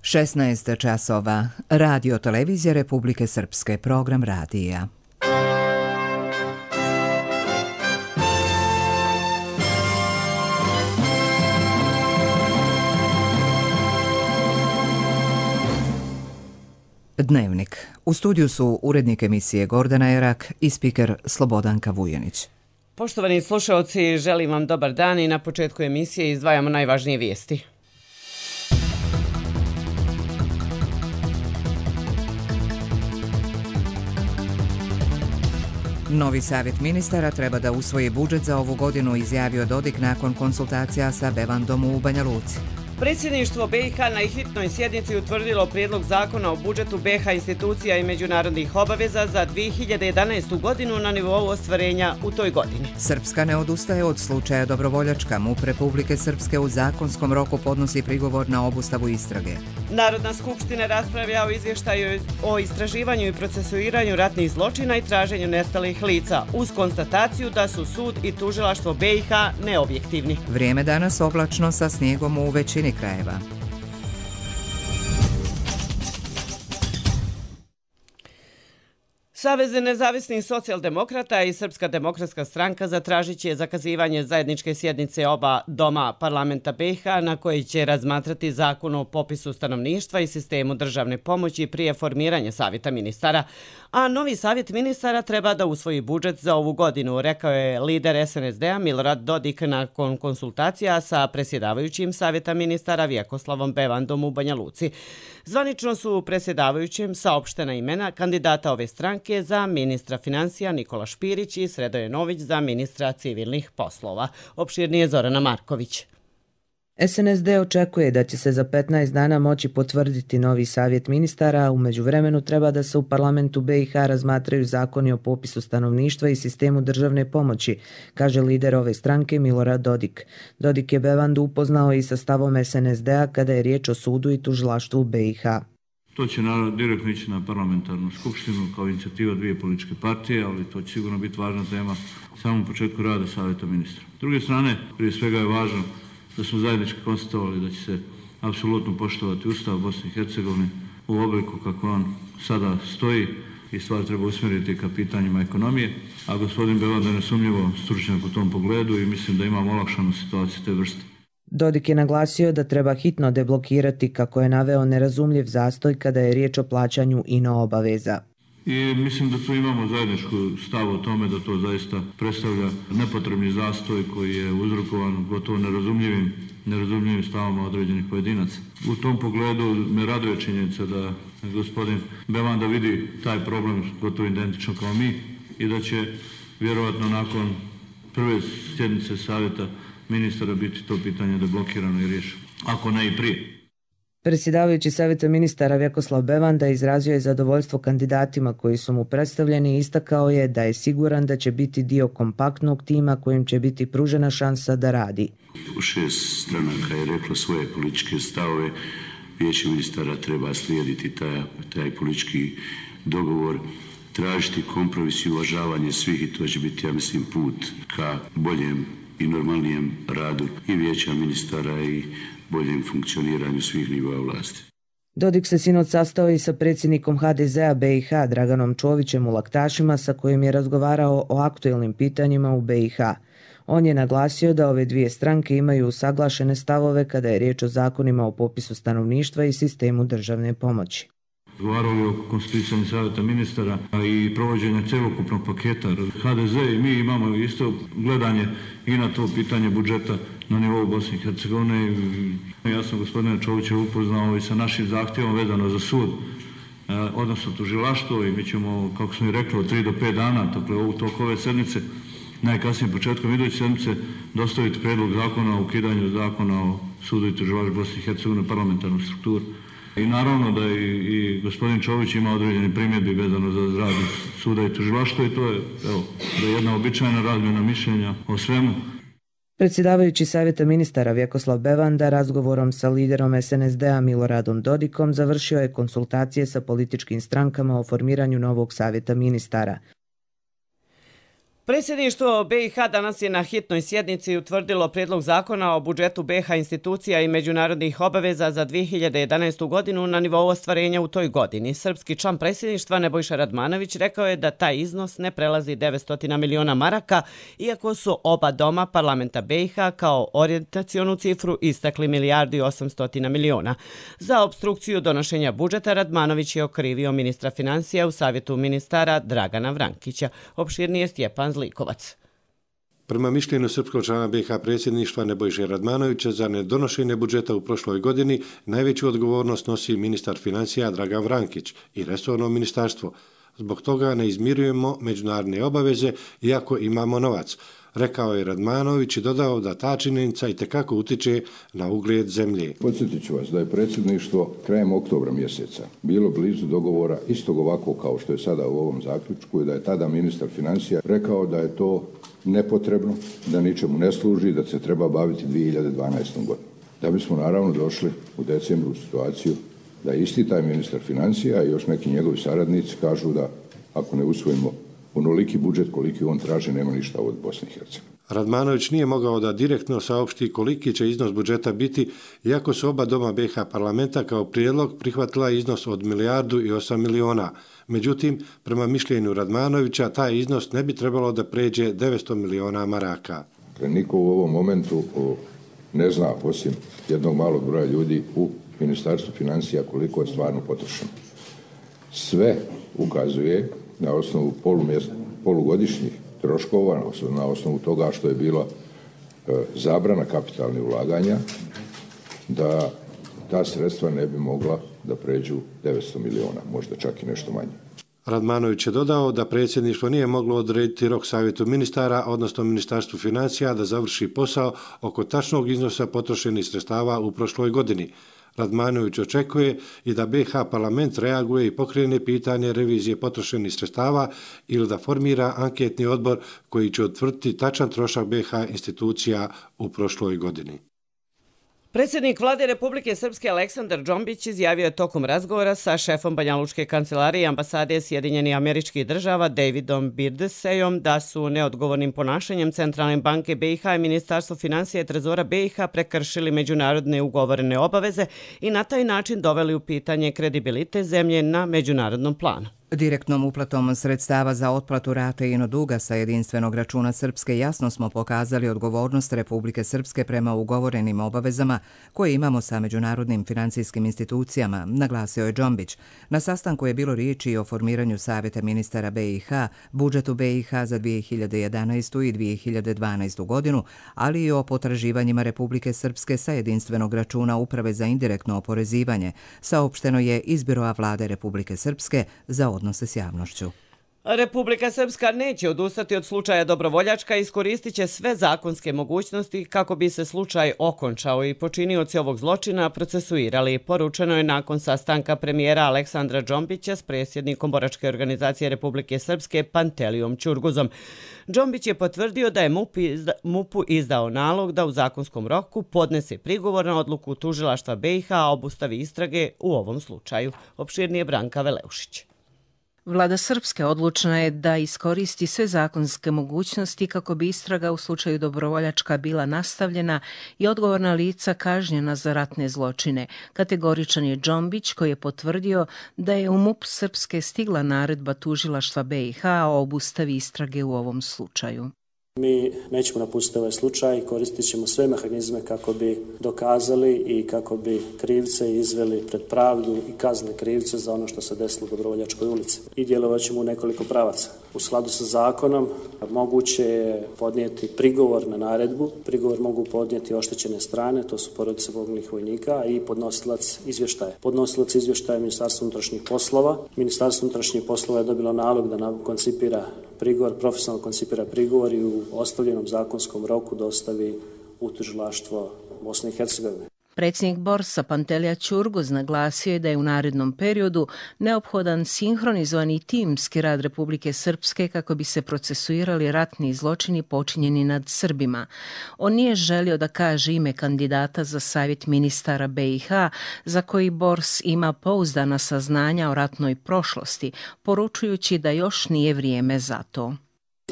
16 časova. Radio Televizija Republike Srpske. Program radija. Dnevnik. U studiju su urednik emisije Gordana Erak i spiker Slobodanka Vujanić. Poštovani slušalci, želim vam dobar dan i na početku emisije izdvajamo najvažnije vijesti. Novi savjet ministara treba da usvoji budžet za ovu godinu, izjavio Dodik nakon konsultacija sa Bevandom u Banja Luci. Predsjedništvo BiH na hitnoj sjednici utvrdilo prijedlog zakona o budžetu BiH institucija i međunarodnih obaveza za 2011. godinu na nivou ostvarenja u toj godini. Srpska ne odustaje od slučaja Dobrovoljačka. MUP Republike Srpske u zakonskom roku podnosi prigovor na obustavu istrage. Narodna skupština raspravlja o izvještaju o istraživanju i procesuiranju ratnih zločina i traženju nestalih lica, uz konstataciju da su sud i tužilaštvo BiH neobjektivni. Vrijeme danas oblačno sa snijegom u većini krajeva. Savez nezavisnih socijaldemokrata i Srpska demokratska stranka zatražit će zakazivanje zajedničke sjednice oba doma parlamenta BiH na koji će razmatrati zakon o popisu stanovništva i sistemu državne pomoći prije formiranja savjeta ministara, a novi savjet ministara treba da usvoji budžet za ovu godinu, rekao je lider SNSD-a Milorad Dodik nakon konsultacija sa predsjedavajućim savjeta ministara Vjekoslavom Bevandom u Banja Luci. Zvanično su predsjedavajućim saopštena imena kandidata ove stranke za ministra financija Nikola Špirić i Sredoje Nović za ministra civilnih poslova. Opširnije Zorana Marković. SNSD očekuje da će se za 15 dana moći potvrditi novi savjet ministara, a u međuvremenu treba da se u parlamentu BiH razmatraju zakoni o popisu stanovništva i sistemu državne pomoći, kaže lider ove stranke Milorad Dodik. Dodik je Bevandu upoznao i sa stavom SNSD-a kada je riječ o sudu i tužilaštvu BiH. To će naravno direktno ići na parlamentarnu skupštinu kao inicijativa dvije političke partije, ali to će sigurno biti važna tema u samom početku rada savjeta ministra. S druge strane, prije svega je važno da smo zajednički konstatovali da će se apsolutno poštovati Ustav Bosne i Hercegovine u obliku kako on sada stoji i stvar treba usmjeriti ka pitanjima ekonomije, a gospodin Bevanda je nesumnjivo stručnjak u tom pogledu i mislim da imamo olakšanu situaciju te vrste. Dodik je naglasio da treba hitno deblokirati, kako je naveo, nerazumljiv zastoj kada je riječ o plaćanju ino obaveza. I mislim da tu imamo zajedničku stav o tome da to zaista predstavlja nepotrebni zastoj koji je uzrokovan gotovo nerazumljivim stavama određenih pojedinaca. U tom pogledu me raduje činjenica da gospodin Bevanda vidi taj problem gotovo identično kao mi i da će vjerovatno nakon prve sjednice savjeta ministara biti to pitanje deblokirano i riješeno, ako ne i prije. Predsjedavajući savjeta ministara Vjekoslav Bevanda izrazio je zadovoljstvo kandidatima koji su mu predstavljeni i istakao je da je siguran da će biti dio kompaktnog tima kojim će biti pružena šansa da radi. 6 stranaka je reklo svoje političke stavove, vijeće ministara treba slijediti taj politički dogovor, tražiti kompromis i uvažavanje svih i to će biti, ja mislim, put ka boljem i normalnijem radu i vijeća ministara i boljem funkcioniranju svih nivoa vlasti. Dodik se sinoć sastao i sa predsjednikom HDZ-a BiH Draganom Čovićem u Laktašima, sa kojim je razgovarao o aktuelnim pitanjima u BiH. On je naglasio da ove dvije stranke imaju usaglašene stavove kada je riječ o zakonima o popisu stanovništva i sistemu državne pomoći. Razgovarali o konstituisanju savjeta ministara i provođenja cjelokupnog paketa. HDZ i mi imamo isto gledanje i na to pitanje budžeta na nivou Bosne i Hercegovine. Ja sam gospodina Čovića upoznao i sa našim zahtjevom vezano za sud, odnosno tužilaštvo, i mi ćemo, kako smo i rekli, od 3 do 5 dana, dakle u toku ove sedmice, najkasnije početkom iduće sedmice, dostaviti prijedlog zakona o ukidanju zakona o sudu i tužilaštvu Bosne i Hercegovine, parlamentarnu strukturu. I naravno da i gospodin Čović ima određene primjedbe vezano za rad suda i tužilaštva i to je da je jedna običajna razmjena mišljenja o svemu. Predsjedavajući savjeta ministara Vjekoslav Bevanda razgovorom sa liderom SNSD-a Miloradom Dodikom završio je konsultacije sa političkim strankama o formiranju novog savjeta ministara. 1. Predsjedništvo BiH danas je na hitnoj sjednici utvrdilo prijedlog zakona o budžetu BiH institucija i međunarodnih obaveza za 2011. godinu na nivou ostvarenja u toj godini. Srpski član predsjedništva Nebojša Radmanović rekao je da taj iznos ne prelazi 900 miliona maraka, iako su oba doma parlamenta BiH kao orijentacionu cifru istakli 1,8 milijardi. Za opstrukciju donošenja budžeta Radmanović je okrivio ministra financija u savjetu ministara Dragana Vrankića. Opširnije Stjepan Zlikovac. Prema mišljenju srpskog člana BiH predsjedništva Nebojše Radmanovića za nedonošenje budžeta u prošloj godini najveću odgovornost nosi ministar financija Dragan Vrankić i resorno ministarstvo. Zbog toga ne izmirujemo međunarodne obaveze iako imamo novac, rekao je Radmanović i dodao da ta činjenica itekako utiče na ugled zemlje. Podsjetit ću vas da je predsjedništvo krajem oktobra mjeseca bilo blizu dogovora istog ovako kao što je sada u ovom zaključku i da je tada ministar financija rekao da je to nepotrebno, da ničemu ne služi, da se treba baviti 2012. godinu. Da bismo naravno došli u decembru u situaciju da isti taj ministar financija i još neki njegovi saradnici kažu da ako ne usvojimo onoliki budžet koliki on traži, nema ništa od Bosne i Hercegovine. Radmanović nije mogao da direktno saopšti koliki će iznos budžeta biti, iako su oba doma BiH parlamenta kao prijedlog prihvatila iznos od 1,8 milijardi. Međutim, prema mišljenju Radmanovića, taj iznos ne bi trebalo da pređe 900 miliona maraka. Niko u ovom momentu ne zna, osim jednog malog broja ljudi u Ministarstvu financija, koliko je stvarno potrošeno. Sve ukazuje na osnovu polugodišnjih troškova, na osnovu toga što je bila zabrana kapitalnih ulaganja, da ta sredstva ne bi mogla da pređu 900 miliona, možda čak i nešto manje. Radmanović je dodao da predsjedništvo nije moglo odrediti rok savjetu ministara, odnosno Ministarstvu financija, da završi posao oko tačnog iznosa potrošenih sredstava u prošloj godini. Radmanović očekuje i da BiH parlament reaguje i pokrene pitanje revizije potrošenih sredstava ili da formira anketni odbor koji će utvrditi tačan trošak BiH institucija u prošloj godini. Predsjednik Vlade Republike Srpske Aleksandar Džombić izjavio je tokom razgovora sa šefom Banjalučke kancelarije i ambasade Sjedinjenih Američkih Država Davidom Birdesejom da su neodgovornim ponašanjem Centralne banke BiH i Ministarstvo financija i trezora BiH prekršili međunarodne ugovorene obaveze i na taj način doveli u pitanje kredibilitet zemlje na međunarodnom planu. Direktnom uplatom sredstava za otplatu rate ino duga sa jedinstvenog računa Srpske jasno smo pokazali odgovornost Republike Srpske prema ugovorenim obavezama koje imamo sa međunarodnim financijskim institucijama, naglasio je Džombić. Na sastanku je bilo riječi i o formiranju Savjeta ministara BiH, budžetu BiH za 2011. i 2012. godinu, ali i o potraživanjima Republike Srpske sa jedinstvenog računa Uprave za indirektno oporezivanje, saopšteno je iz Biroa Vlade Republike Srpske za odnose s javnošću. Republika Srpska neće odustati od slučaja Dobrovoljačka i iskoristit će sve zakonske mogućnosti kako bi se slučaj okončao i počinioci ovog zločina procesuirali. Poručeno je nakon sastanka premijera Aleksandra Džombića s predsjednikom Boračke organizacije Republike Srpske Pantelijom Ćurguzom. Džombić je potvrdio da je MUP-u izdao nalog da u zakonskom roku podnese prigovor na odluku tužilaštva BiH o obustavi istrage u ovom slučaju. Opširnije Branka Veleušić. Vlada Srpske odlučna je da iskoristi sve zakonske mogućnosti kako bi istraga u slučaju Dobrovoljačka bila nastavljena i odgovorna lica kažnjena za ratne zločine. Kategoričan je Džombić koji je potvrdio da je u MUP Srpske stigla naredba tužilaštva BiH o obustavi istrage u ovom slučaju. Mi nećemo napustiti ovaj slučaj, koristit ćemo sve mehanizme kako bi dokazali i kako bi krivce izveli pred pravdu i kaznili krivce za ono što se desilo u Dobrovoljačkoj ulici. I djelovat ćemo u nekoliko pravaca. U skladu sa zakonom moguće je podnijeti prigovor na naredbu. Prigovor mogu podnijeti oštećene strane, to su porodice poginulih vojnika i podnosilac izvještaja. Podnosilac izvještaja je Ministarstvo unutrašnjih poslova. Ministarstvo unutrašnjih poslova je dobilo nalog da koncipira prigovor, profesionalno koncipira prigovor i u ostavljenom zakonskom roku dostavi u tužilaštvo Bosne i Hercegovine. Predsjednik Borsa Pantelija Ćurguz naglasio je da je u narednom periodu neophodan sinhronizovani timski rad Republike Srpske kako bi se procesuirali ratni zločini počinjeni nad Srbima. On nije želio da kaže ime kandidata za savjet ministara BiH, za koji Bors ima pouzdana saznanja o ratnoj prošlosti, poručujući da još nije vrijeme za to.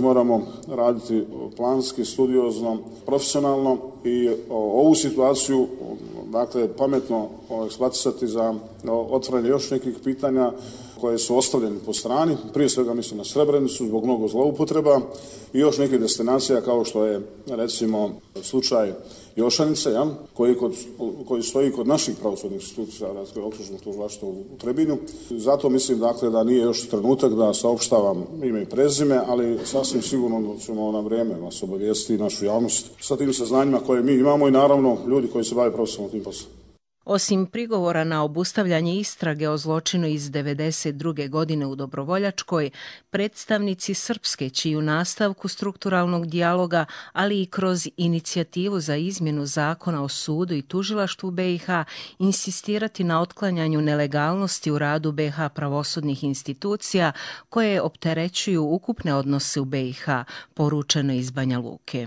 Moramo raditi planski, studiozno, profesionalno i ovu situaciju pametno eksploatirati za otvaranje još nekih pitanja koje su ostavljene po strani. Prije svega mislim na Srebrenicu zbog mnogo zloupotreba i još nekih destinacija kao što je recimo slučaj Jošanice, koji stoji kod naših pravosudnih institucija, okružnog tužilaštva u Trebinju. Zato mislim da nije još trenutak da saopštavam ime i prezime, ali sasvim sigurno ćemo na vrijeme vas obavijestiti našu javnost sa tim saznanjima koje mi imamo i naravno ljudi koji se bave profesionalno tim poslom. Osim prigovora na obustavljanje istrage o zločinu iz 1992. godine u Dobrovoljačkoj, predstavnici Srpske će u nastavku strukturalnog dijaloga, ali i kroz inicijativu za izmjenu zakona o sudu i tužilaštvu BiH, insistirati na otklanjanju nelegalnosti u radu BiH pravosudnih institucija koje opterećuju ukupne odnose u BiH, poručeno iz Banja Luke.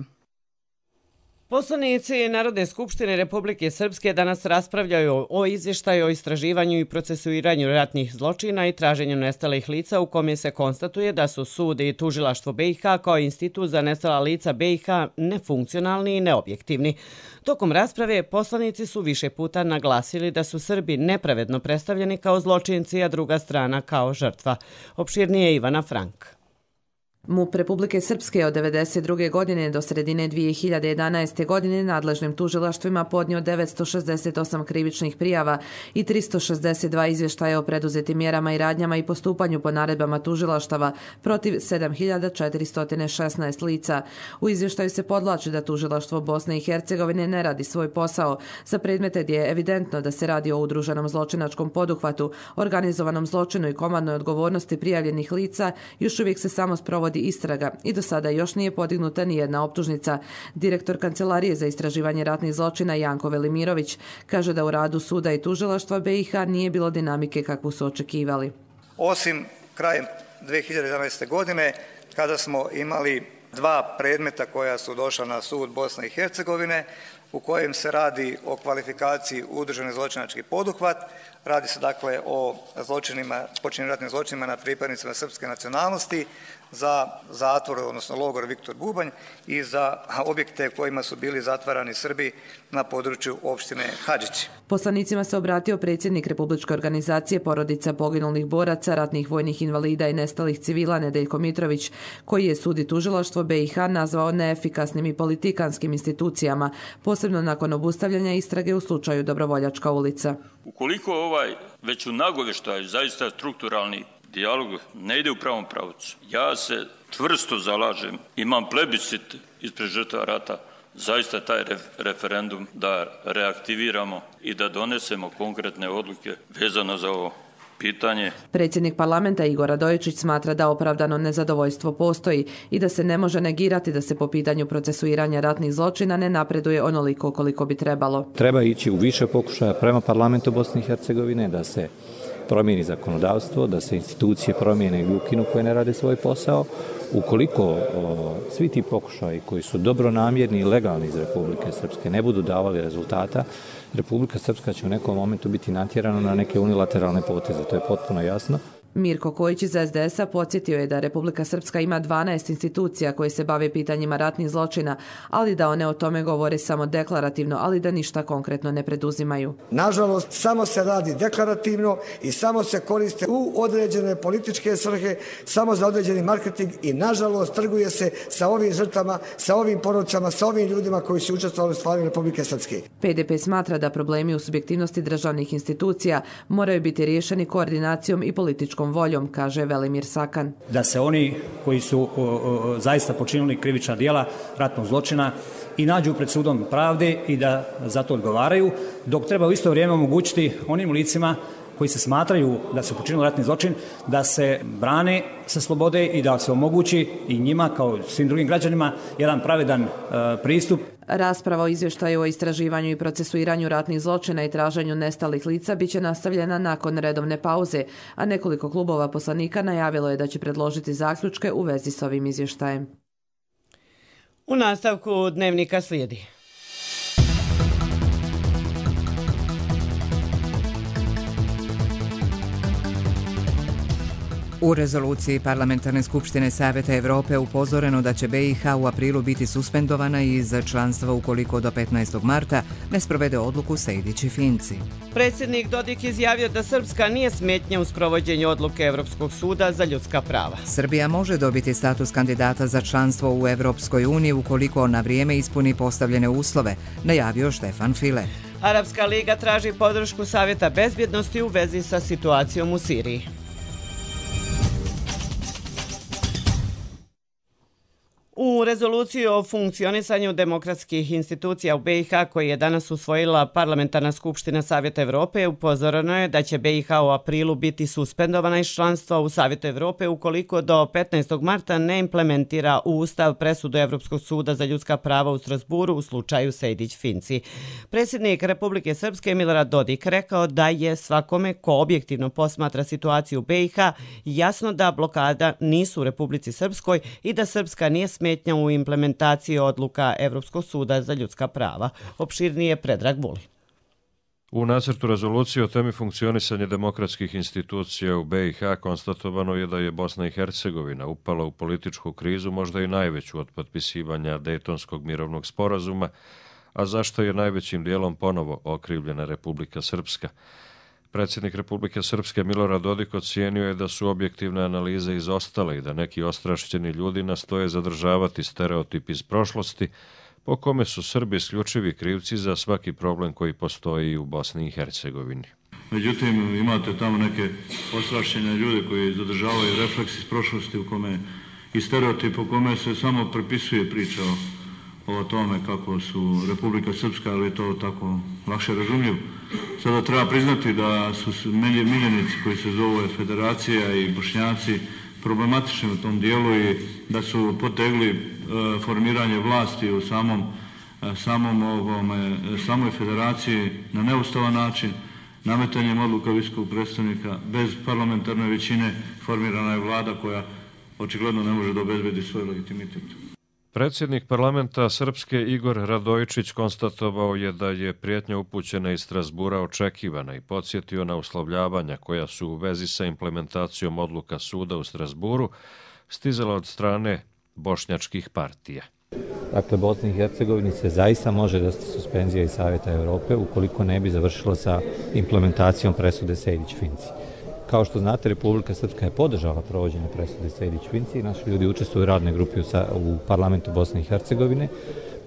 Poslanici Narodne skupštine Republike Srpske danas raspravljaju o izvještaju o istraživanju i procesuiranju ratnih zločina i traženju nestalih lica u kome se konstatuje da su sud i tužilaštvo BiH kao institut za nestala lica BiH nefunkcionalni i neobjektivni. Tokom rasprave poslanici su više puta naglasili da su Srbi nepravedno predstavljeni kao zločinci, a druga strana kao žrtva. Opširnije Ivana Frank. MUP Republike Srpske od 1992. godine do sredine 2011. godine nadležnim tužilaštvima podnio 968 krivičnih prijava i 362 izvještaja o preduzetim mjerama i radnjama i postupanju po naredbama tužilaštava protiv 7416 lica. U izvještaju se podvlači da tužilaštvo Bosne i Hercegovine ne radi svoj posao za predmete gdje je evidentno da se radi o udruženom zločinačkom poduhvatu, organizovanom zločinu i komandnoj odgovornosti prijavljenih lica. Još uvijek se samo sprovodi istraga i do sada još nije podignuta ni jedna optužnica. Direktor Kancelarije za istraživanje ratnih zločina Janko Velimirović kaže da u radu suda i tužilaštva BiH nije bilo dinamike kakvu su očekivali. Osim krajem 2011. godine kada smo imali 2 predmeta koja su došla na sud Bosne i Hercegovine u kojem se radi o kvalifikaciji udruženi zločinački poduhvat. Radi se dakle o počinjenim ratnim zločinima na pripadnicima srpske nacionalnosti za zatvor, odnosno logor Viktor Bubanj i za objekte kojima su bili zatvarani Srbi na području opštine Hadžići. Poslanicima se obratio predsjednik Republičke organizacije porodica poginulih boraca, ratnih vojnih invalida i nestalih civila Nedeljko Mitrović, koji je sud i tužilaštvo BiH nazvao neefikasnim i politikanskim institucijama, posebno nakon obustavljanja istrage u slučaju Dobrovoljačka ulica. Ukoliko već u nagoveštaju zaista strukturalni dijalog ne ide u pravom pravcu, ja se čvrsto zalažem, imam plebiscit ispred žrtava rata, zaista taj referendum da reaktiviramo i da donesemo konkretne odluke vezano za ovo pitanje. Predsjednik parlamenta Igor Radojičić smatra da opravdano nezadovoljstvo postoji i da se ne može negirati da se po pitanju procesuiranja ratnih zločina ne napreduje onoliko koliko bi trebalo. Treba ići u više pokušaja prema parlamentu Bosne i Hercegovine da se promijeni zakonodavstvo, da se institucije promijene i ukinu koje ne rade svoj posao. Ukoliko svi ti pokušaji koji su dobronamjerni i legalni iz Republike Srpske ne budu davali rezultata, Republika Srpska će u nekom momentu biti natjerana na neke unilateralne poteze, to je potpuno jasno. Mirko Kojić iz SDS-a podsjetio je da Republika Srpska ima 12 institucija koje se bave pitanjima ratnih zločina, ali da one o tome govore samo deklarativno, ali da ništa konkretno ne preduzimaju. Nažalost, samo se radi deklarativno i samo se koriste u određene političke svrhe, samo za određeni marketing i nažalost trguje se sa ovim žrtvama, sa ovim porodicama, sa ovim ljudima koji su učestvovali u stvaranju Republike Srpske. PDP smatra da problemi u subjektivnosti državnih institucija moraju biti riješeni koordinacijom i političkom voljom, kaže Velimir Sakan. Da se oni koji su zaista počinili krivična djela ratnog zločina i nađu pred sudom pravde i da za to odgovaraju, dok treba u isto vrijeme omogućiti onim licima koji se smatraju da su počinili ratni zločin, da se brane sa slobode i da se omogući i njima kao svim drugim građanima jedan pravedan pristup. Rasprava o izvještaju o istraživanju i procesuiranju ratnih zločina i traženju nestalih lica biće nastavljena nakon redovne pauze, a nekoliko klubova poslanika najavilo je da će predložiti zaključke u vezi s ovim izvještajem. U nastavku dnevnika slijedi. U U rezoluciji Parlamentarne skupštine Saveta Evrope upozoreno da će BiH u aprilu biti suspendovana iz članstva ukoliko do 15. marta ne sprovede odluku Sejdić i Finci. Predsjednik Dodik izjavio da Srpska nije smetnja u sprovođenju odluke Evropskog suda za ljudska prava. Srbija može dobiti status kandidata za članstvo u Evropskoj uniji ukoliko na vrijeme ispuni postavljene uslove, najavio Štefan File. Arapska liga traži podršku Savjeta bezbjednosti u vezi sa situacijom u Siriji. U rezoluciji o funkcionisanju demokratskih institucija u BiH koji je danas usvojila Parlamentarna skupština Savjeta Evrope upozoreno je da će BiH u aprilu biti suspendovana iz članstva u Savjetu Evrope ukoliko do 15. marta ne implementira u Ustav presudu Evropskog suda za ljudska prava u Strasburu u slučaju Sejdić-Finci. Predsjednik Republike Srpske Milorad Dodik rekao da je svakome ko objektivno posmatra situaciju u BiH jasno da blokada nisu u Republici Srpskoj i da Srpska nije smetnja u implementaciji odluka Evropskog suda za ljudska prava. Opširnije Predrag Vulin. U nacrtu rezolucije o temi funkcionisanja demokratskih institucija u BiH konstatovano je da je Bosna i Hercegovina upala u političku krizu, možda i najveću od potpisivanja Dejtonskog mirovnog sporazuma, a zašto je najvećim dijelom ponovo okrivljena Republika Srpska. Predsjednik Republike Srpske Milorad Dodik ocijenio je da su objektivne analize izostale i da neki ostrašćeni ljudi nastoje zadržavati stereotip iz prošlosti po kome su Srbi isključivi krivci za svaki problem koji postoji u Bosni i Hercegovini. Međutim, imate tamo neke ostrašćene ljude koji zadržavaju refleks iz prošlosti u kome i stereotip u kome se samo prepisuje priča o tome kako su Republika Srpska, ali je to tako lakše razumljivo. Sada treba priznati da su miljenici koji se zove Federacija i Bošnjaci problematični u tom dijelu i da su potegli formiranje vlasti u samoj federaciji na neustavan način, nametanjem odluka visokog predstavnika bez parlamentarne većine formirana je vlada koja očigledno ne može da obezbedi svoj legitimitet. Predsjednik parlamenta Srpske Igor Radojičić konstatovao je da je prijetnja upućena iz Strasbura očekivana i podsjetio na uslovljavanja koja su u vezi sa implementacijom odluka suda u Strasburu stizala od strane bošnjačkih partija. Dakle, Bosni i Hercegovini se zaista može desiti suspenzija iz Savjeta Evrope ukoliko ne bi završilo sa implementacijom presude Sejdić-Finci. Kao što znate, Republika Srpska je podržala provođenje presude Sejdić-Finci i naši ljudi učestvuju u radnoj grupi u parlamentu Bosne i Hercegovine.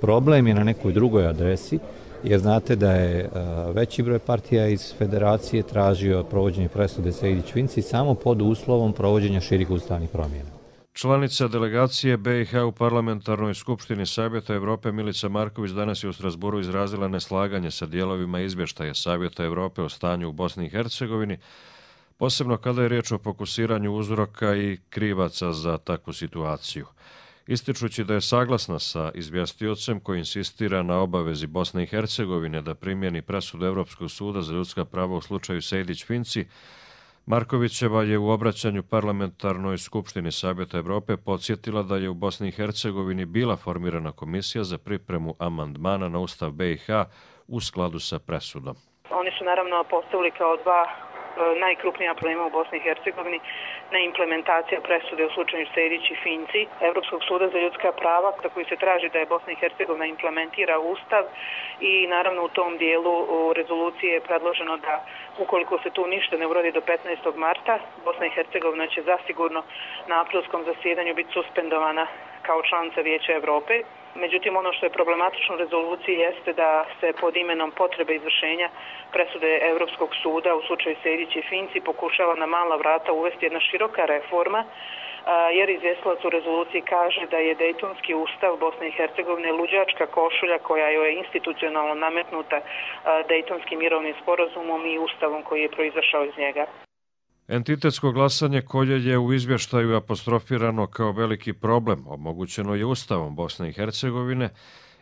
Problem je na nekoj drugoj adresi, jer znate da je veći broj partija iz federacije tražio provođenje presude Sejdić-Finci samo pod uslovom provođenja širih ustavnih promjena. Članica delegacije BiH u Parlamentarnoj skupštini Savjeta Evrope Milica Marković danas je u Strasburu izrazila neslaganje sa dijelovima izvještaja Savjeta Evrope o stanju u Bosni i Hercegovini, posebno kada je riječ o fokusiranju uzroka i krivaca za takvu situaciju. Ističući da je saglasna sa izvjestiocem koji insistira na obavezi Bosne i Hercegovine da primjeni presudu Evropskog suda za ljudska prava u slučaju Sejdić-Finci, Markovićeva je u obraćanju Parlamentarnoj skupštini Savjeta Evrope podsjetila da je u Bosni i Hercegovini bila formirana komisija za pripremu amandmana na Ustav BiH u skladu sa presudom. Oni su naravno postavili kao dva najkrupnija problema u Bosni i Hercegovini neimplementacija presude u slučaju Sejdić i Finci Evropskog suda za ljudska prava koji se traži da je Bosna i Hercegovina implementira Ustav i naravno u tom dijelu u rezoluciji je predloženo da ukoliko se tu ništa ne uradi do 15. marta, Bosna i Hercegovina će zasigurno na aprilskom zasjedanju biti suspendovana kao članica Vijeća Evrope. Međutim, ono što je problematično u rezoluciji jeste da se pod imenom potrebe izvršenja presude Evropskog suda u slučaju Sejdić i Finci pokušava na mala vrata uvesti jedna široka reforma, jer izvjestilac u rezoluciji kaže da je Dejtonski ustav Bosne i Hercegovine luđačka košulja koja je institucionalno nametnuta Dejtonskim mirovnim sporazumom i ustavom koji je proizašao iz njega. Entitetsko glasanje koje je u izvještaju apostrofirano kao veliki problem omogućeno je Ustavom Bosne i Hercegovine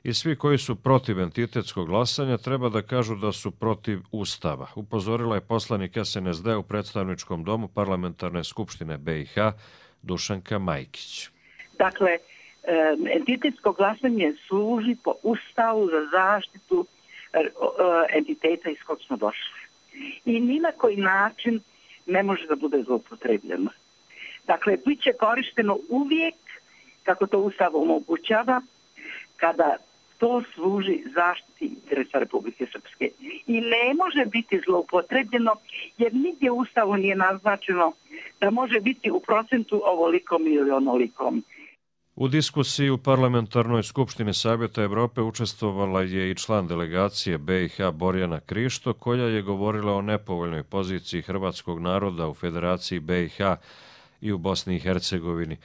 i svi koji su protiv entitetskog glasanja treba da kažu da su protiv Ustava, upozorila je poslanik SNSD u predstavničkom domu Parlamentarne skupštine BiH Dušanka Majkić. Dakle, entitetsko glasanje služi po Ustavu za zaštitu entiteta iz kog smo došli. I ni na koji način ne može da bude zloupotrebljeno. Dakle, bit će korišteno uvijek, kako to Ustav omogućava, kada to služi zaštiti interesa Republike Srpske. I ne može biti zloupotrebljeno, jer nigdje u Ustavu nije naznačeno da može biti u procentu ovolikom ili onolikom. U diskusiji u Parlamentarnoj skupštini Savjeta Evrope učestvovala je i član delegacije BiH Borjana Krišto, koja je govorila o nepovoljnoj poziciji hrvatskog naroda u Federaciji BiH i u Bosni i Hercegovini,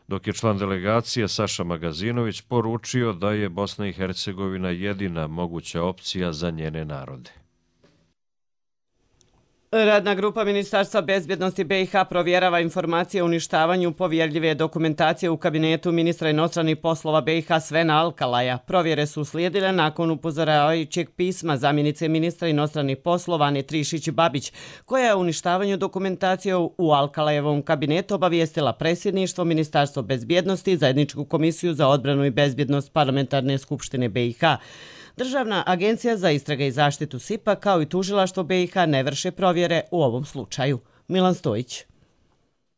dok je član delegacije Saša Magazinović poručio da je Bosna i Hercegovina jedina moguća opcija za njene narode. Radna grupa Ministarstva bezbjednosti BiH provjerava informacije o uništavanju povjerljive dokumentacije u kabinetu ministra inostranih poslova BiH Svena Alkalaja. Provjere su uslijedile nakon upozoravajućeg pisma zamjenice ministra inostranih poslova Ane Trišić-Babić, koja je o uništavanju dokumentacije u Alkalajevom kabinetu obavijestila predsjedništvo, Ministarstvo bezbjednosti i Zajedničku komisiju za odbranu i bezbjednost Parlamentarne skupštine BiH. Državna agencija za istrage i zaštitu SIP-a kao i tužilaštvo BiH ne vrše provjere u ovom slučaju. Milan Stojić.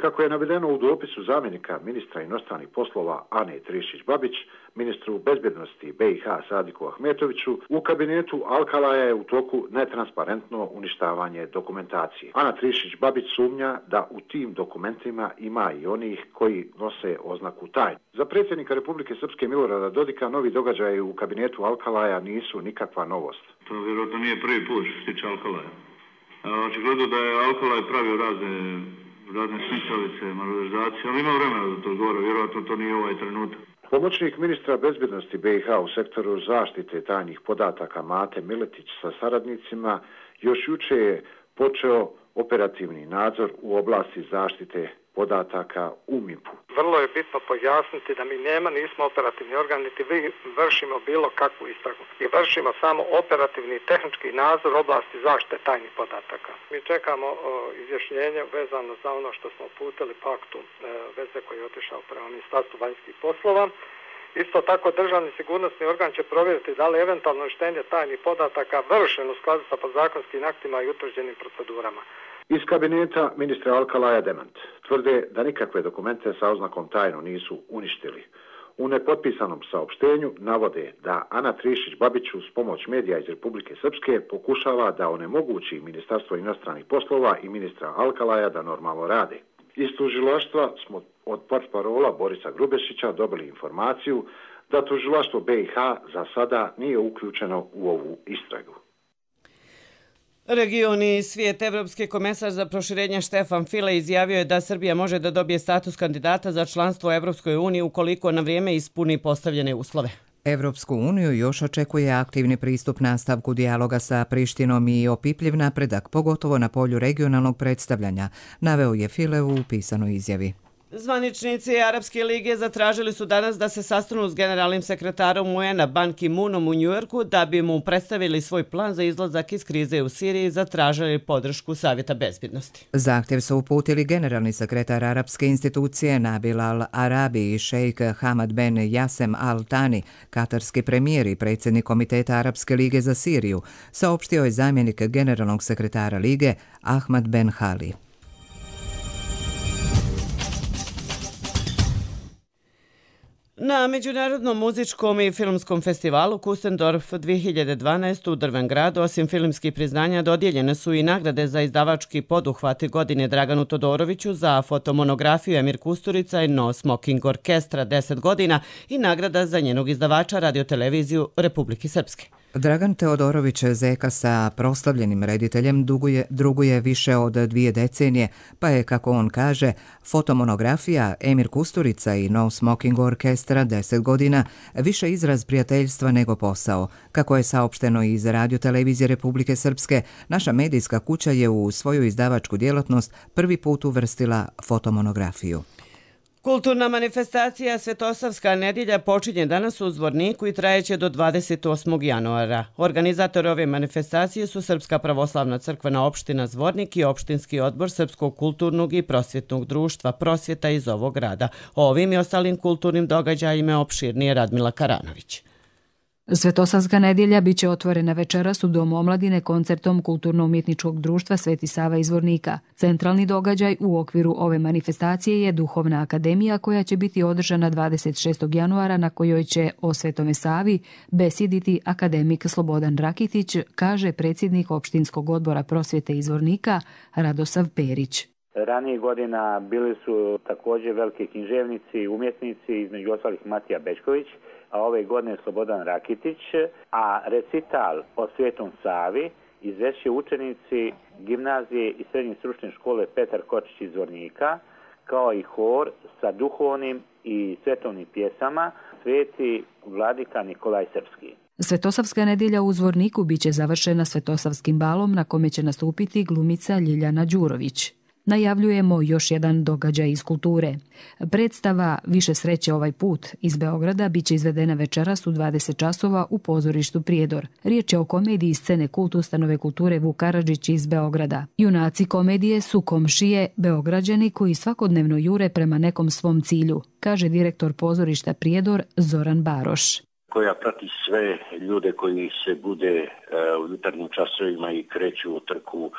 Kako je navedeno u dopisu zamjenika ministra inostranih poslova Ane Trišić-Babić, ministru bezbjednosti BiH Sadiku Ahmetoviću, u kabinetu Alkalaja je u toku netransparentno uništavanje dokumentacije. Ana Trišić-Babić sumnja da u tim dokumentima ima i onih koji nose oznaku tajne. Za predsjednika Republike Srpske Milorada Dodika novi događaji u kabinetu Alkalaja nisu nikakva novost. To vjerojatno nije prvi put što se tiče Alkalaja. Očigledno da je Alkalaj pravio razne smicavice, malverzacije, ali ima vremena da to odgovara, vjerojatno to nije ovaj trenutak. Pomoćnik ministra bezbjednosti BiH u sektoru zaštite tajnih podataka Mate Miletić sa saradnicima još juče je počeo operativni nadzor u oblasti zaštite podataka u MIP-u. Vrlo je bitno pojasniti da mi nismo operativni organ, niti vršimo bilo kakvu istragu. I vršimo samo operativni i tehnički nadzor oblasti zaštite tajnih podataka. Mi čekamo izjašnjenje vezano za ono što smo uputili paktu veze koji je otišao prema Ministarstvu vanjskih poslova. Isto tako državni sigurnosni organ će provjeriti da li eventualno uništenje tajnih podataka vršeno u skladu sa podzakonskim aktima i utvrđenim procedurama. Iz kabineta ministra Alkalaja demant. Tvrde da nikakve dokumente sa oznakom tajno nisu uništili. U nepotpisanom saopštenju navode da Ana Trišić-Babić uz pomoć medija iz Republike Srpske pokušava da onemogući Ministarstvo inostranih poslova i ministra Alkalaja da normalno rade. Iz tužilaštva smo od portparola Borisa Grubešića dobili informaciju da tužilaštvo BiH za sada nije uključeno u ovu istragu. Regioni svijet, evropski komesar za proširenje Štefan File izjavio je da Srbija može da dobije status kandidata za članstvo u Evropskoj uniji ukoliko na vrijeme ispuni postavljene uslove. Evropsku uniju još očekuje aktivni pristup nastavku dijaloga sa Prištinom i opipljiv napredak, pogotovo na polju regionalnog predstavljanja, naveo je File u pisanoj izjavi. Zvaničnici Arapske lige zatražili su danas da se sastanu s generalnim sekretarom UN-a Ban Ki-moonom u Njujorku da bi mu predstavili svoj plan za izlazak iz krize u Siriji i zatražili podršku Savjeta bezbjednosti. Zahtjev su uputili generalni sekretar Arapske institucije Nabil al-Arabi i šejk Hamad Ben Jasem al-Tani, katarski premijer i predsjednik Komiteta Arapske lige za Siriju, saopštio je zamjenik generalnog sekretara lige Ahmad Ben Hali. Na Međunarodnom muzičkom i filmskom festivalu Kustendorf 2012 u Drvengradu, osim filmskih priznanja, dodijeljene su i nagrade za izdavački poduhvat godine Draganu Todoroviću za fotomonografiju Emir Kusturica i No Smoking Orkestra 10 godina i nagrada za njenog izdavača radioteleviziju Republike Srpske. Dragan Teodorović Zeka sa proslavljenim rediteljem druguje više od 2 decenije, pa je, kako on kaže, fotomonografija Emir Kusturica i No Smoking Orkestra 10 godina više izraz prijateljstva nego posao. Kako je saopšteno iz radiotelevizije Republike Srpske, naša medijska kuća je u svoju izdavačku djelatnost prvi put uvrstila fotomonografiju. Kulturna manifestacija Svetosavska nedjelja počinje danas u Zvorniku i trajeće do 28. januara. Organizatori ove manifestacije su Srpska pravoslavna crkvena opština Zvornik i opštinski odbor Srpskog kulturnog i prosvjetnog društva Prosvjeta iz ovog grada. O ovim i ostalim kulturnim događajima opširnije Radmila Karanović. Svetosavska nedjelja biće otvorena večeras u Domu omladine koncertom Kulturno-umjetničkog društva Sveti Sava iz Zvornika. Centralni događaj u okviru ove manifestacije je Duhovna akademija koja će biti održana 26. januara na kojoj će o Svetome Savi besjediti akademik Slobodan Rakitić, kaže predsjednik opštinskog odbora prosvjete iz Zvornika Radosav Perić. Ranije godina bili su također veliki književnici, umjetnici, između ostalih Matija Bečković, a ove godine Slobodan Rakitić, a recital o Svetom Savi izvešće učenici gimnazije i srednje stručne škole Petar Kočić iz Zvornika, kao i hor sa duhovnim i svetovnim pjesama Sveti Vladika Nikolaj Srpski. Svetosavska nedjelja u Zvorniku biće završena Svetosavskim balom na kome će nastupiti glumica Ljiljana Đurović. Najavljujemo još jedan događaj iz kulture. Predstava Više sreće ovaj put iz Beograda biće izvedena večeras u 20 časova u pozorištu Prijedor. Riječ je o komediji scene Kult ustanove kulture Vuk Karadžić iz Beograda. Junaci komedije su komšije Beograđani koji svakodnevno jure prema nekom svom cilju, kaže direktor pozorišta Prijedor Zoran Baroš. Koja prati sve ljude koji se bude u jutarnjim časovima i kreću u trku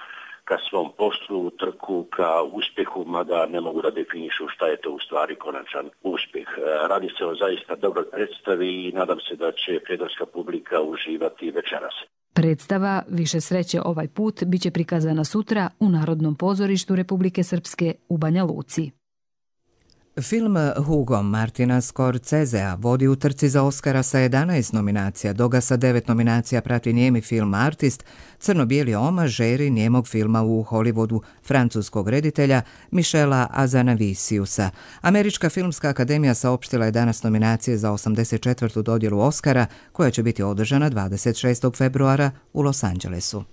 ka svom poslu, trku ka uspjehu, mada ne mogu da definišu šta je to u stvari konačan uspjeh. Radi se o zaista dobroj predstavi i nadam se da će prijedorska publika uživati večeras. Predstava Više sreće ovaj put biće prikazana sutra u Narodnom pozorištu Republike Srpske u Banja Luci. Film Hugo Martina Scorsesea vodi u trci za Oscara sa 11 nominacija, dok ga sa 9 nominacija prati nijemi film Artist, crno-bijeli omaž žeri nijemog filma u Hollywoodu francuskog reditelja Michela Azanaviciusa. Američka filmska akademija saopštila je danas nominacije za 84. dodjelu Oscara, koja će biti održana 26. februara u Los Angelesu.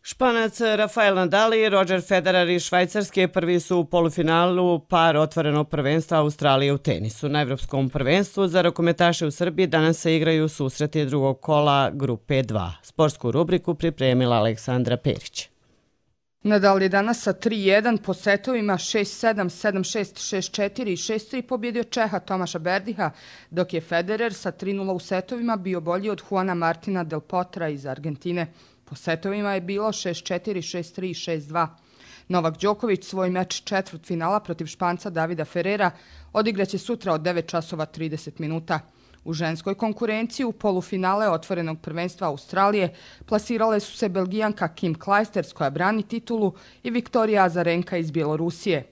Španac Rafael Nadal i Roger Federer iz Švajcarske prvi su u polufinalu par otvorenog prvenstva Australije u tenisu. Na Evropskom prvenstvu za rukometaše u Srbiji danas se igraju susreti drugog kola grupe 2. Sportsku rubriku pripremila Aleksandra Perić. Nadal je danas sa 3-1 po setovima 6-7, 7-6, 6-4 i 6-3 pobjedio Čeha Tomaša Berdiha, dok je Federer sa 3-0 u setovima bio bolji od Juana Martina Del Potra iz Argentine. Po setovima je bilo 6-4, 6-3 i 6-2. Novak Đoković svoj meč četvrtfinala protiv Španca Davida Ferrera odigraće sutra od 9 časova 30 minuta. U ženskoj konkurenciji u polufinale otvorenog prvenstva Australije plasirale su se Belgijanka Kim Clijsters koja brani titulu i Viktorija Azarenka iz Bjelorusije.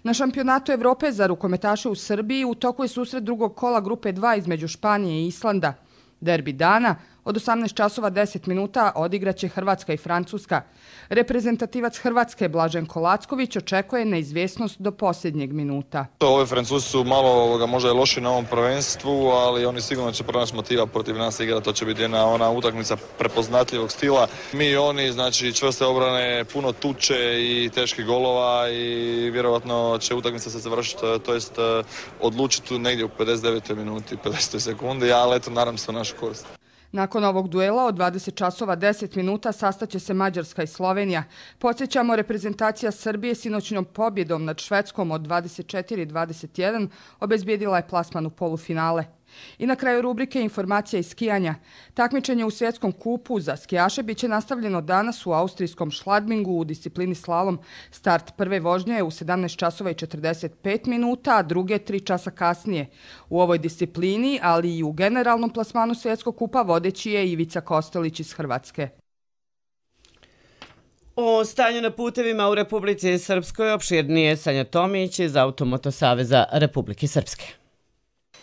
Na šampionatu Evrope za rukometaše u Srbiji u toku je susret drugog kola grupe 2 između Španije i Islanda. Derbi dana od 18 časova 10 minuta odigraće Hrvatska i Francuska. Reprezentativac Hrvatske Blaženko Lacković očekuje neizvjesnost do posljednjeg minuta. Ove Francuzi su malo možda je loši na ovom prvenstvu, ali oni sigurno će pronaći motiva protiv nas igrati. To će biti ona utakmica prepoznatljivog stila. Mi i oni, znači čvrste obrane, puno tuče i teških golova i vjerojatno će utakmica se završiti, to jest odlučiti negdje u 59. minuti, 50. sekundi, ali eto, nadam se u našu korist. Nakon ovog duela od 20 časova 10 minuta sastaće se Mađarska i Slovenija. Podsjećamo, reprezentacija Srbije sinoćnom pobjedom nad Švedskom od 24-21 obezbijedila je plasman u polufinale. I na kraju rubrike informacija iz skijanja. Takmičenje u svjetskom kupu za skijaše biće nastavljeno danas u austrijskom Schladmingu u disciplini slalom. Start prve vožnje je u 17 časova i 45 minuta, a druge 3 časa kasnije. U ovoj disciplini, ali i u generalnom plasmanu svjetskog kupa vodeći je Ivica Kostelić iz Hrvatske. O stanju na putevima u Republici Srpskoj opširnije Sanja Tomić iz Automoto Saveza Republike Srpske.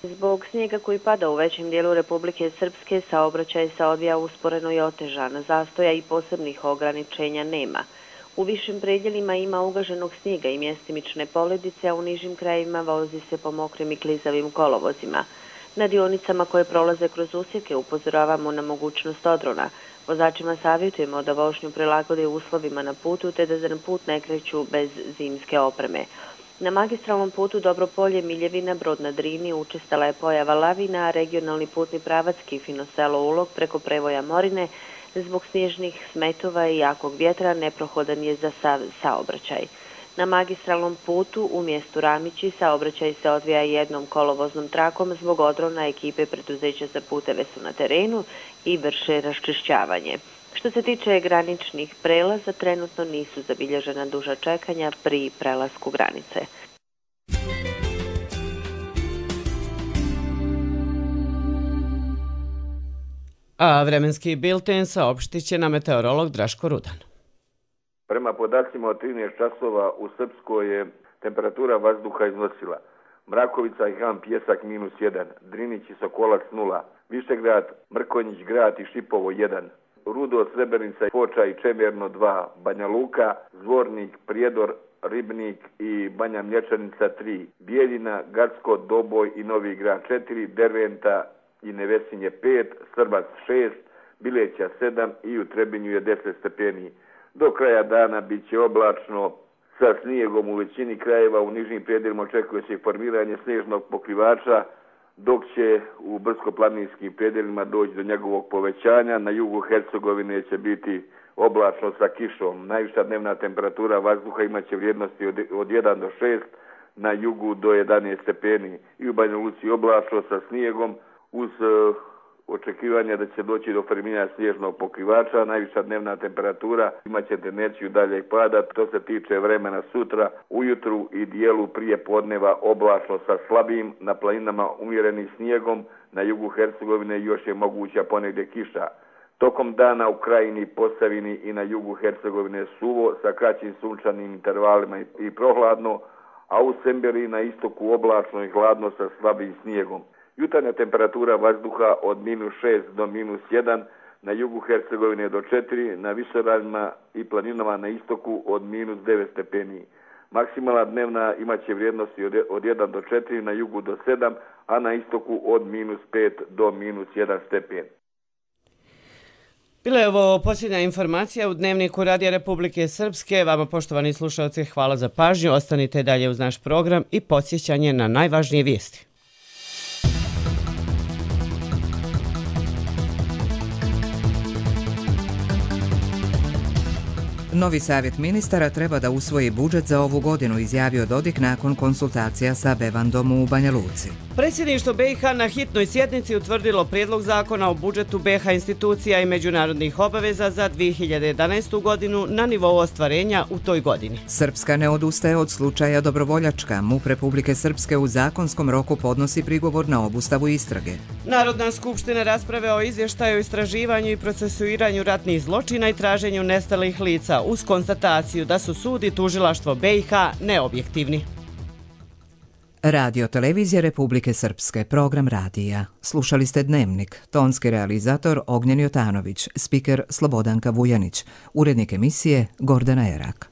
Zbog snijega koji pada u većem dijelu Republike Srpske, saobraćaj se odvija usporeno i otežano. Zastoja i posebnih ograničenja nema. U višim predjelima ima ugaženog snijega i mjestimične poledice, a u nižim krajevima vozi se po mokrim i klizavim kolovozima. Na dionicama koje prolaze kroz usjeke upozoravamo na mogućnost odrona. Vozačima savjetujemo da vožnju prilagode uslovima na putu te da na put ne kreću bez zimske opreme. Na magistralnom putu Dobropolje Miljevina Brod na Drini učestala je pojava lavina, a regionalni putni pravac Kifino selo Ulog preko prevoja Morine zbog snježnih smetova i jakog vjetra neprohodan je za sav saobraćaj. Na magistralnom putu u mjestu Ramići saobraćaj se odvija jednom kolovoznom trakom zbog odrona. Ekipe preduzeća za puteve su na terenu i vrše raščišćavanje. Što se tiče graničnih prelaza, trenutno nisu zabilježena duža čekanja pri prelasku granice. A vremenski bilten saopštit će na meteorolog Draško Rudan. Prema podacima od 13 časova u Srpskoj je temperatura vazduha iznosila Mrakovica i Han Pjesak -1, Drinić i Sokolac 0, Višegrad, Mrkonjić Grad i Šipovo 1, Rudo, Srebrenica, Foča i Čemerno 2, Banja Luka, Zvornik, Prijedor, Ribnik i Banja Mlječanica 3, Bijeljina, Gacko, Doboj i Novi Grad 4, Derventa i Nevesinje 5, Srbac 6, Bileća 7 i u Trebinju je 10 stepeni. Do kraja dana bit će oblačno sa snijegom u većini krajeva, u nižim predjelima očekuje se formiranje snježnog pokrivača, dok će u brdsko-planinskim predjelima doći do njegovog povećanja. Na jugu Hercegovine će biti oblačno sa kišom. Najviša dnevna temperatura vazduha imaće vrijednosti od 1 do 6, na jugu do 11 stepeni. I u Banja Luci oblačno sa snijegom uz očekivanja da će doći do formiranja snježnog pokrivača. Najviša dnevna temperatura imaće tendenciju daljeg pada. To se tiče vremena sutra, ujutru i dijelu prije podneva oblačno sa slabim, na planinama umjerenim snijegom, na jugu Hercegovine još je moguća ponegdje kiša. Tokom dana u Krajini, Posavini i na jugu Hercegovine suvo sa kraćim sunčanim intervalima i prohladno, a u Semberi na istoku oblačno i hladno sa slabim snijegom. Jutarnja temperatura vazduha od -6 do -1, na jugu Hercegovine do 4, na visoraljima i planinama na istoku od -9 stepeni. Maksimalna dnevna imaće vrijednosti od 1 do 4, na jugu do 7, a na istoku od -5 do -1 stepen. Bila je ovo posljednja informacija u Dnevniku Radija Republike Srpske. Vama, poštovani slušalci, hvala za pažnju. Ostanite dalje uz naš program i podsjećanje na najvažnije vijesti. Novi savjet ministara treba da usvoji budžet za ovu godinu, izjavio Dodik nakon konsultacija sa Bevandom u Banja Luci. Predsjedništvo BiH na hitnoj sjednici utvrdilo prijedlog zakona o budžetu BiH institucija i međunarodnih obaveza za 2011. godinu na nivou ostvarenja u toj godini. Srpska ne odustaje od slučaja Dobrovoljačka. MUP Republike Srpske u zakonskom roku podnosi prigovor na obustavu istrage. Narodna skupština rasprave o izvještaju, istraživanju i procesuiranju ratnih zločina i traženju nestalih lica uz konstataciju da su sud i tužilaštvo BiH neobjektivni. Radio Televizija Republike Srpske, program radija. Slušali ste Dnevnik, tonski realizator Ognjen Jotanović, spiker Slobodanka Vujanić, urednik emisije Gordana Erak.